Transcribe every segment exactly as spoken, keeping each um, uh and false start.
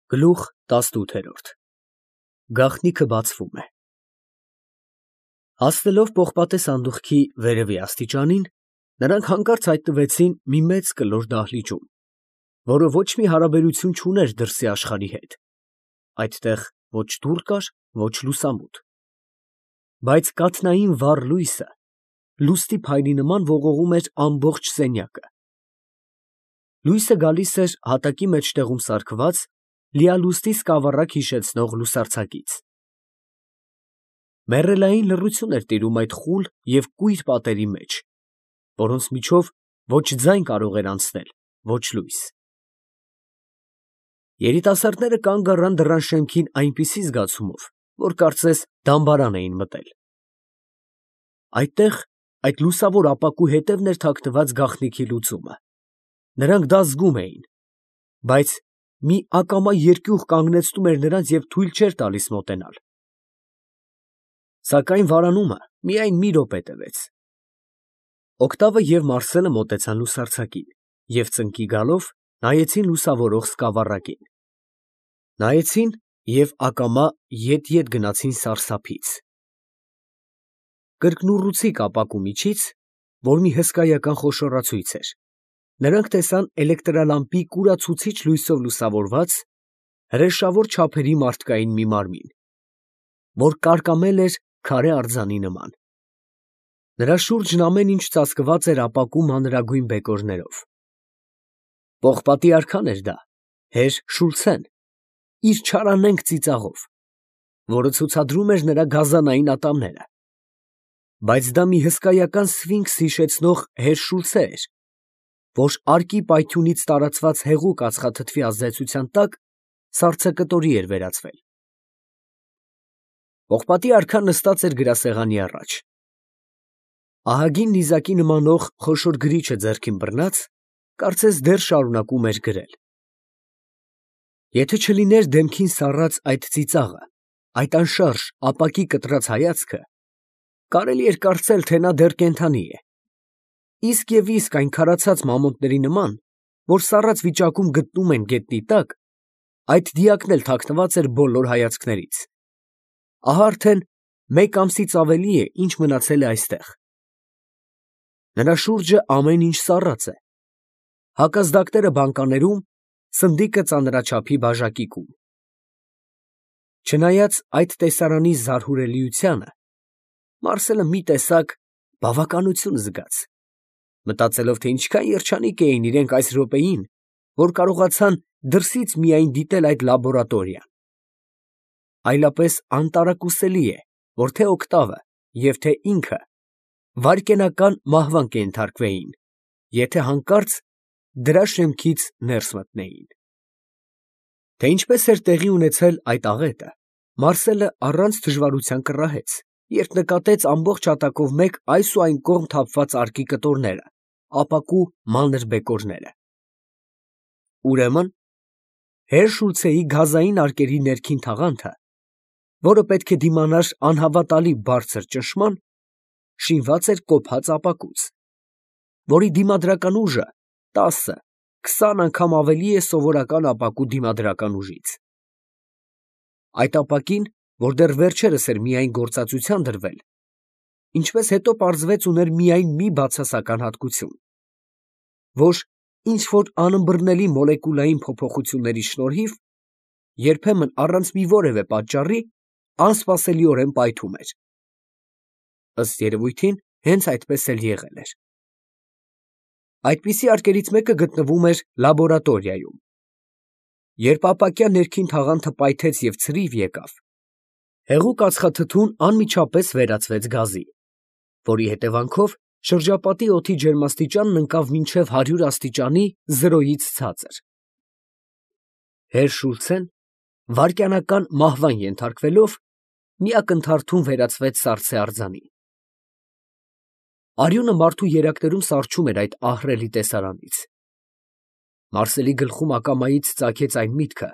Գլուխ տասնութ Գաղտնիքը բացվում է։ Հասնելով պողպատե սանդուղքի վերևի աստիճանին, նրանք հանկարծ հայտնվեցին մի մեծ կլոր դահլիճում, որը ոչ մի հարաբերություն չուներ դրսի աշխարհի հետ. այդտեղ ոչ դուռ կար, ոչ լուսամուտ, բայց կաթնային վառ լույսը լուստի փայլի նման ողողում էր ամբողջ սենյակը։ Լույսը գալիս էր հատակի մեջտեղում սարքված լիալուստի սկավառակ հիշեցնող լուսարձակից։ Մեռելային լռություն էր տիրում այդ խուլ և կույր պատերի մեջ, որոնց միջով ոչ ձայն կարող էր անցնել, ոչ լույս։ Երիտասարդները կանգ առան դռան շեմքին այնպիսի զգացումով, որ կարծես դամբարան էին մտել։ Այդտեղ, այդ լուսավոր ապակու հետևն էր թաքնված գաղտնիքի լուծումը։ Նրանք դա զգում էին, բայց մի ակամա երկյուղ կանգնեցնում էր նրանց և թույլ չէր տալիս մոտենալ։ Սակայն վարանումը միայն մի րոպե տևեց։ Օգտավը և Մարսելը մոտեցան լուսարձակին և ծնկի գալով նայեցին լուսավորող սկավառակին։ Նայեցին և ակամա ետ֊ետ գնացին սարսափից։ Կրկնուռուցիկ ապակու միջից, որ մի հսկայական խոշորացույց էր, նրանք տեսան էլեկտրալամպի կուրացուցիչ լույսով լուսավորված հրեշավոր չափերի մարդկային մի մարմին, որ կարկամել էր քարե արձանի նման։ Նրա շուրջն ամեն ինչ ծածկված էր ապակու մանրագույն բեկորներով։ Պողպատի արքան էր դա, հեր Շուլցեն, իր չարանենգ ծիծաղով, որը ցուցադրում էր նրա գազանային ատամները։ Բայց դա մի հսկայական սֆինքս հիշեցնող հեր Շուլցե էր, որ արկի պայթյունից տարածված հեղուկ ածխաթթվի ազդեցության տակ սառցակտորի էր վերածվել։ Պողպատի արքան նստած էր գրասեղանի առաջ։ Ահագին նիզակի նմանող խոշոր գրիչը ձեռքին բռնած, կարծես դեռ շարունակում էր գրել։ Եթե չլիներ դեմքին սառած այդ ծիծաղը, այդ անշարժ ապակի կտրած հայացքը, կարելի էր կարծել, թե նա դեռ կենդանի է, իսկ և իսկ այն քարացած մամոնտների նման, որ սառած վիճակում գտնում են գետնի տակ, այդ դիակն էլ թաքնված էր բոլոր հայացքներից։ Ահա արդեն մեկ ամսից ավելի է, ինչ մնացել է այստեղ։ Նրա շուրջը ամեն ինչ սառած է, հակազդակները բանկաներում, սնդիկը ծանրաչափի բաժակիկում։ Չնայած այդ տեսարանի զարհուրելիությանը, Մարսելը մի տեսակ բավականություն զգաց, մտածելով, թե ինչքան երջանիկ էին իրենք այս րոպեին, որ կարողացան դրսից միայն դիտել այդ լաբորատորիան։ Այլապես անտարակուսելի է, որ թե Օգտավը և թե ինքը վայրկենական մահվան կենթարկվեին, եթե հանկարծ դրա շեմքից ներս մտնեին։ Թե ինչպես էր տեղի ունեցել այդ աղետը, Մարսելը առանց դժվարության կռահեց, երբ նկատեց ամբողջ հատակով մեկ այս ու այն կողմ թափված արկի կտորները, ապակու մանր բեկորները։ Ուրեմն, հեր Շուլցեի գազային արկերի ներքին թաղանթը, որը պետք է դիմանար անհավատալի բարձր ճնշման, շինված էր կոփած ապակուց, որի դիմադրական ուժը տասը, քսան անգամ ավելի է սովորական ապակու դիմադրական ուժից։ Այդ ապակին, որ դեռ վերջերս էր միայն գործածության դրվել, ինչպես հետո պարզվեց, ուներ միայն մի բացասական հատկություն, որ ինչ֊որ անըմբռնելի մոլեկուլային փոփոխությունների շնորհիվ երբեմն առանց մի որևէ պատճառի անսպասելիորեն պայթում էր։ Ըստ երևույթին, հենց այդպես էլ եղել էր։ Այդպիսի արկերից մեկը գտնվում էր լաբորատորիայում։ Երբ ապակյա ներքին թաղանթը պայթեց և ցրիվ եկավ, հեղուկ ածխաթթուն անմիջապես վերածվեց գազի, որի հետևանքով շրջապատի օդի ջերմաստիճանն ընկավ մինչև հարյուր աստիճանի զրոյից ցածր։ Հեր Շուլցեն, վայրկենական մահվան ենթարկվելով, մի ակնթարթում վերածվեց սառցե արձանի։ Արյունը մարդու երակներում սառչում էր այդ ահռելի տեսարանից։ Մարսելի գլխում ակամայից ծագեց այն միտքը,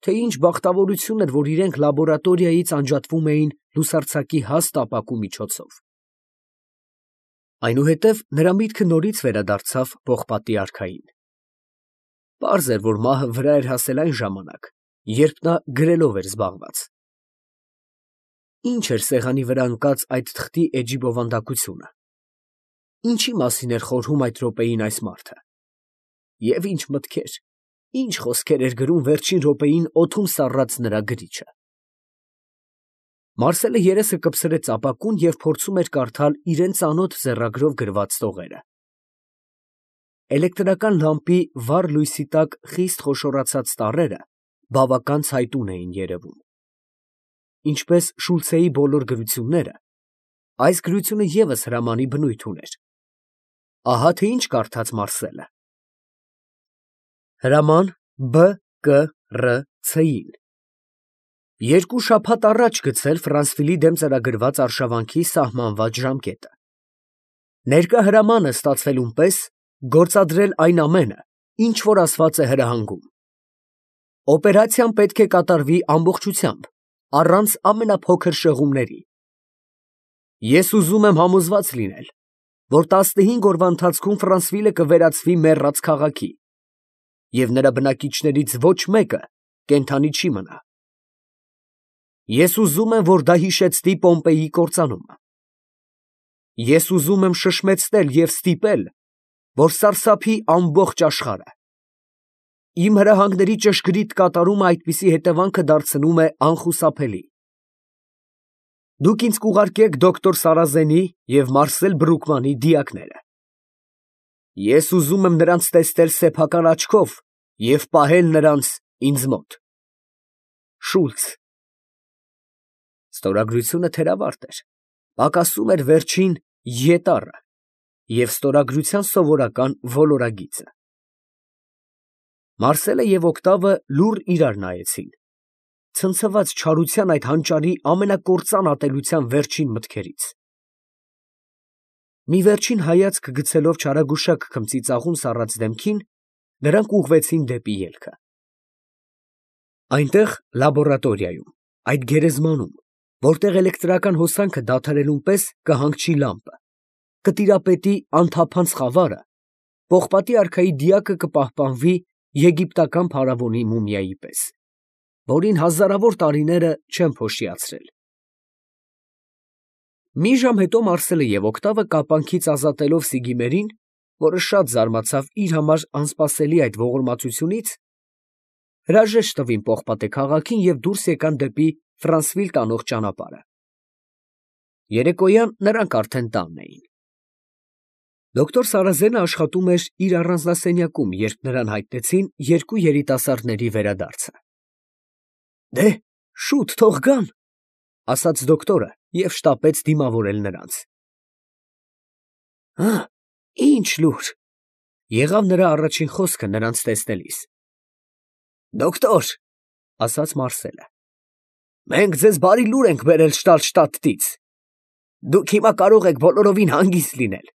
թե ինչ բախտավորություն էր, որ իրենք լաբորատորիայից անջատվում էին լուսարձակի հաստ ապակու միջոցով։ Այնուհետև նրա միտքը նորից վերադարձավ պողպատի արքային։ Պարզ էր, որ մահը վրա էր հասել այն ժամանակ, երբ նա գրելով էր զբաղված։ Ինչ էր սեղանի վրա ընկած այդ թղթի էջի բովանդակությունը։ Ինչի մասին էր խորհում այդ րոպեին այս մարդը։ Եվ ինչ մտքեր, ինչ խոսքեր էր գրում վերջին րոպեին օդում սառած նրա գրիչը։ Մարսելը երեսը կպցրեց ապակուն և փորձում էր կարդալ իրան ծանոթ ձեռագրով գրված տողերը։ Էլեկտրական լամպի վառ լույսի տակ խիստ խոշորացած տառերը բավական ցայտուն էին երևում։ Ինչպես Շուլցեի բոլոր գրությունները, այս գրությունը ևս հրամանի բնույթ ուներ։ Ահա թե ինչ կարդաց Մարսելը. Հրաման Բ Կ R C-ին. Երկու շաբաթ առաջ գցել Ֆրանսվիլի դեմ ծրագրված արշավանքի սահմանված ժամկետը։ Ներկա հրամանը ստացվելուն պես գործադրել այն ամենը, ինչ որ ասված է հրահանգում։ Օպերացիան պետք է կատարվի ամբողջությամբ, առանց ամենափոքր շեղումների։ Ես ուզում եմ համոզված լինել, որ տասնհինգ օրվա ընթացքում Ֆրանսվիլը կվերածվի մեռած քաղաքի, և նրա բնակիչներից ոչ մեկը կենդանի չի մնա։ Ես ուզում եմ, որ դա հիշեցնի Պոմպեյի կործանումը։ Ես ուզում եմ շշմեցնել և ստիպել, որ սարսափի ամբողջ աշխարհը։ Իմ հրահանգների ճշգրիտ կատարումը այդպիսի հետևանքը դարձնում է անխուսափելի։ Դուք ինձ կուղարկեք դոկտոր Սարազենի և Մարսել Բրուկմանի դիակները։ Ես ուզում եմ նրանց տեսնել սեփական աչքով և պահել նրանց ինձ մոտ։ Շուլց։ Ստորագրությունը թերավարտ էր, պակասում էր վերջին Ե տառը և ստորագրության սովորական ոլորագիծը։ Մարսելը և Օկտավը լուռ իրար նայեցին, ցնցված չարության այդ հանճարի ամենակործան ատելության վերջին մտքերից։ Մի վերջին հայացք գցելով չարագուշակ քմծի ծաղուն սառած դեմքին, նրանք ուղղվեցին դեպի ելքը։ Այնտեղ, լաբորատորիայում, այդ գերեզմանում, որտեղ էլեկտրական հոսանքը դադարելուն պես կհանգչի լամպը, կտիրապետի անթափանց խավարը, պողպատի արքայի դիակը կպահպանվի եգիպտական փարավոնի մումիայի պես, որին հազարավոր տարիները չեն փոշիացրել։ Մի ժամ հետո Մարսելը և Օկտավը կապանքից ազատելով Սիգիմերին, որը շատ զարմացավ իր համար անսպասելի այդ ողորմածությունից, հրաժեշտ տվին Պողպատե քաղաքին և դուրս եկան դեպի Ֆրանսվիլ տանող ճանապարհը։ Երեկոյան նրանք արդեն տանն էին։ Դոկտոր Սարազենը աշխատում էր իր առանձնասենյակում, երբ նրան հայտնեցին երկու երիտասարդների վերադարձը։ Դե, շուտ թող գան, ասաց դոկտորը և շտապեց դիմավորել նրանց։ Հը, ինչ լուր, եղավ նրա առաջին խոսքը նրանց տեսնելիս։ Դոկտոր, ասաց Մարսելը, մենք ձեզ բարի լուր ենք բերել Շտալշտադտից։ Դուք հիմա կարող եք բոլորովին հանգիստ լինել։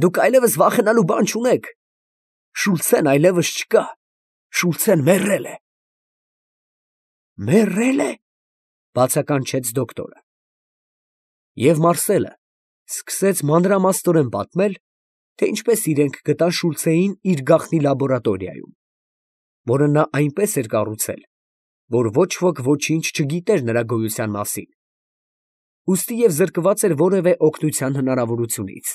Դուք այլևս վախենալու բան չունեք։ Շուլցեն այլևս չկա, Շուլցեն մեռել է։ Մեռե՞լ է, բացականչեց դոկտորը։ Եվ Մարսելը սկսեց մանրամասնորեն պատմել, թե ինչպես իրենք գտան Շուլցեին իր գաղտնի լաբորատորիայում, որը նա այնպես էր կառուցել, որ ոչ ոք ոչինչ չգիտեր նրա գոյության մասին, ուստի և զրկված էր որևէ օգնության հնարավորությունից։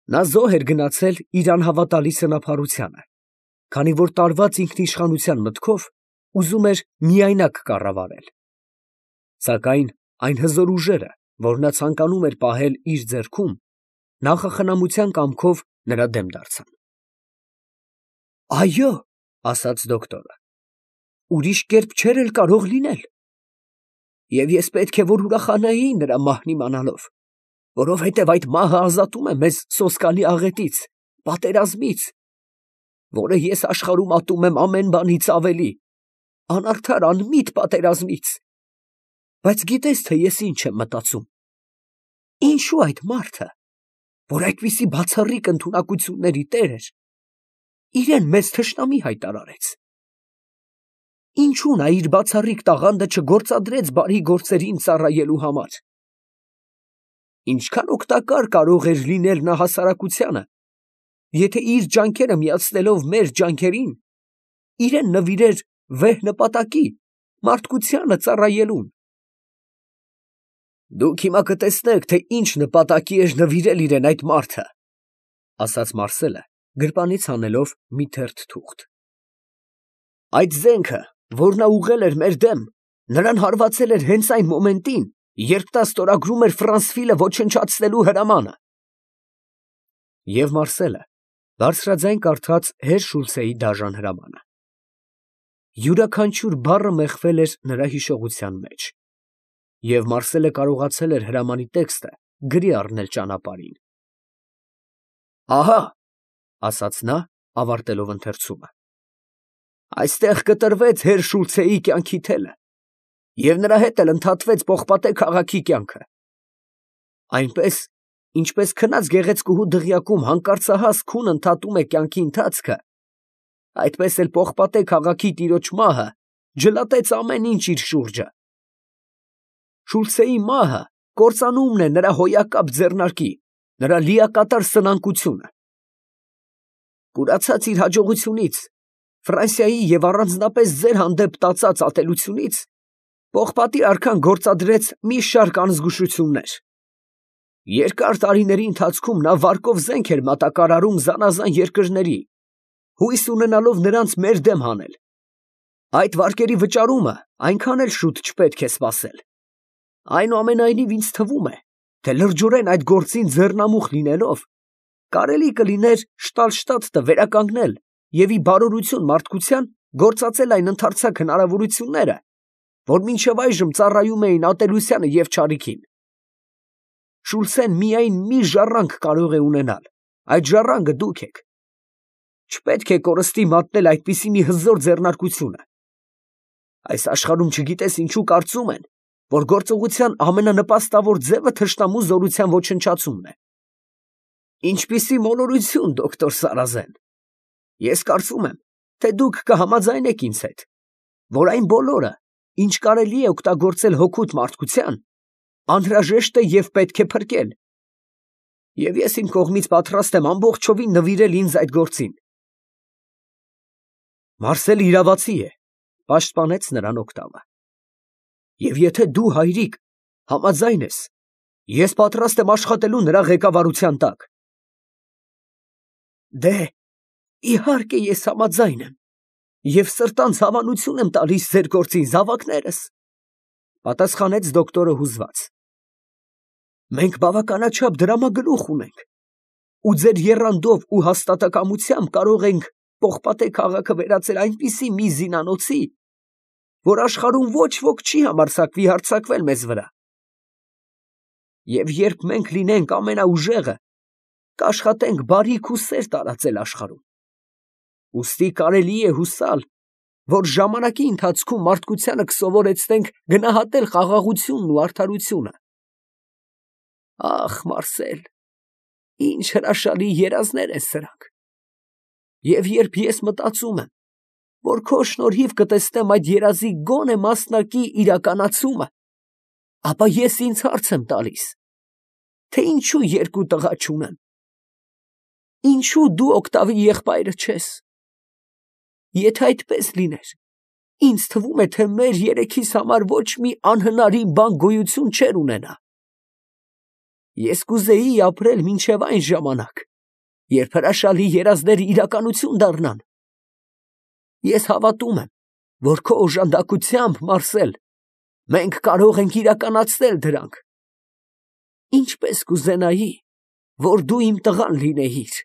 Նա զոհ էր գնացել իր անհավատալի սնափառությանը, քանի որ տարված ինքնիշխանության մտքով ուզում էր միայնակ կառավարել։ Սակայն այն հզոր ուժերը, որ նա ցանկանում էր պահել իր ձեռքում, նախախնամության կամքով նրա դեմ դարձան։ Այո, ասաց դոկտորը, ուրիշ կերպ չէր էլ կարող լինել։ Եվ ես պետք է որ ուրախանայի նրա մահն իմանալով, որովհետև այդ մահը ազատում է մեզ սոսկալի աղետից, պատերազմից, որը ես աշխարհում ատում եմ ամեն բանից ավելի, անարդար անմիտ պատերազմից։ Բայց գիտես, թե ես ինչ եմ մտածում. ինչու այդ մարդը, որ այդպիսի բացառիկ ընդունակությունների տեր էր, իրեն մեզ թշնամի հայտարարեց։ Ինչու նա իր բացառիկ տաղանդը չգործադրեց բարի գործերին ծառայելու համար։ Ինչքան օգտակար կարող էր լինել նա հասարակությանը, եթե իր ջանքերը միացնելով մեր ջանքերին, իրեն նվիրեր վեհ նպատակի, մարդկությանը ծառայելուն։ Դուք հիմա կտեսնեք, թե ինչ նպատակի էր նվիրել իրեն այդ մարդը, ասաց Մարսելը, գրպանից հանելով մի թերթ թուղթ։ Այդ զենքը, որ նա ուղղել էր մեր դեմ, նրան հարվածել էր հենց այն մոմենտին, երբ նա ստորագրում էր Ֆրանսվիլը ոչնչացնելու հրամանը։ Եվ Մարսելը բարձրաձայն կարդաց հեր Շուլցեի դաժան հրամանը։ Յուրաքանչյուր բառը մեխվել էր նրա հիշողության մեջ, և Մարսելը կարողացել էր հրամանի տեքստը գրի առնել ճանապարհին։ Ահա, ասաց նա, ավարտելով ընթերցումը, այստեղ կտրվեց հեր Շուլցեի կյանքի թելը, և նրա հետ էլ ընդհատվեց Պողպատե քաղաքի կյանքը։ Այնպես, ինչպես քնած գեղեցկուհու դղյակում հանկարծահաս քուն ընդհատում է կյանքի ընթացքը, այդպես էլ Պողպատե քաղաքի տիրոջ մահը ջլատեց ամեն ինչ իր շուրջը։ Շուլցեի մահը կործանումն է նրա հոյակապ ձեռնարկի, նրա լիակատար սնանկությունը։ Կուրացած իր հաջողությունից, Ֆրանսիայի և առանձնապես ձեր հանդեպ տածած ատելությունից, Պողպատի արքան գործադրեց մի շարք անզգուշություններ։ Երկար տարիների ընթացքում նա վարկով զենք էր մատակարարում զանազան երկրների, հույս ունենալով նրանց մեր դեմ հանել։ Այդ վարկերի վճարումը այնքան էլ շուտ չպետք է սպասել։ Այնուամենայնիվ ինձ թվում է, թե լրջորեն այդ գործին ձեռնամուխ լինելով, կարելի կլիներ Շտալշտադտը վերականգնել և ի բարօրություն մարդկության գործածել այն ընդարձակ հնարավորությունները, որ մինչև այժմ ծառայում էին ատելությանը և չարիքին։ Շուլցեն միայն մի ժառանգ կարող է ունենալ, այդ ժառանգը դուք եք։ Չպետք է կորստի մատնել այդպիսի մի հզոր ձեռնարկությունը։ Այս աշխարհում չգիտես ինչու կարծում են, որ գործողության ամենանպաստավոր ձևը թշնամու զորության ոչնչացումն է։ Ինչպիսի մոլորություն, դոկտոր Սարազեն։ Ես կարծում եմ, թե դուք կհամաձայնեք ինձ հետ, որ այն բոլորը, ինչ կարելի է օգտագործել հօգուտ մարդկության, անհրաժեշտ է և պետք է փրկել։ Եվ ես իմ կողմից պատրաստ եմ ամբողջովին նվիրել ինձ այդ գործին։ Մարսելը իրավացի է, պաշտպանեց նրան Օկտավը։ Եվ եթե դու, հայրիկ, համաձայն ես, ես պատրաստ եմ աշխատելու նրա ղեկավարության տակ։ Դե, իհարկե ես համաձայն եմ, և սրտանց հավանություն եմ տալիս ձեր գործին, զավակներս, պատասխանեց դոկտորը հուզված։ Մենք բավականաչափ դրամագլուխ ունենք, ու ձեր եռանդով ու հաստատակամությամբ կարող ենք Պողպատե քաղաքը վերածել այնպիսի մի զինանոցի, որ աշխարհում ոչ ոք չի համարձակվի հարձակվել մեզ վրա։ Եվ երբ մենք լինենք ամենաուժեղը, կաշխատենք բարիք ու սեր տարածել աշխարհում։ Ուստի կարելի է հուսալ, որ ժամանակի ընթացքում մարդկությանը կսովորեցնենք գնահատել խաղաղությունն ու արդարությունը։ Ախ, Մարսել, ինչ հրաշալի երազներ են սրանք։ Եվ երբ ես մտածում եմ, որ քո շնորհիվ կտեսնեմ այդ երազի գոնե մասնակի իրականացումը, ապա ես ինձ հարց եմ տալիս, թե ինչու երկու տղա չունեմ։ Ինչու դու Օկտավի եղբայրը չես։ Եթե այդպես լիներ, ինձ թվում է, թե մեր երեքիս համար ոչ մի անհնարին բան գոյություն չէր ունենա։ Ես կուզեի ապրել մինչև այն ժամանակ, երբ հրաշալի երազները իրականություն դառնան։ Ես հավատում եմ, որ քո օժանդակությամբ, Մարսել, մենք կարող ենք իրականացնել դրանք։ Ինչպես կուզենայի, որ դու իմ տղան լինեիր։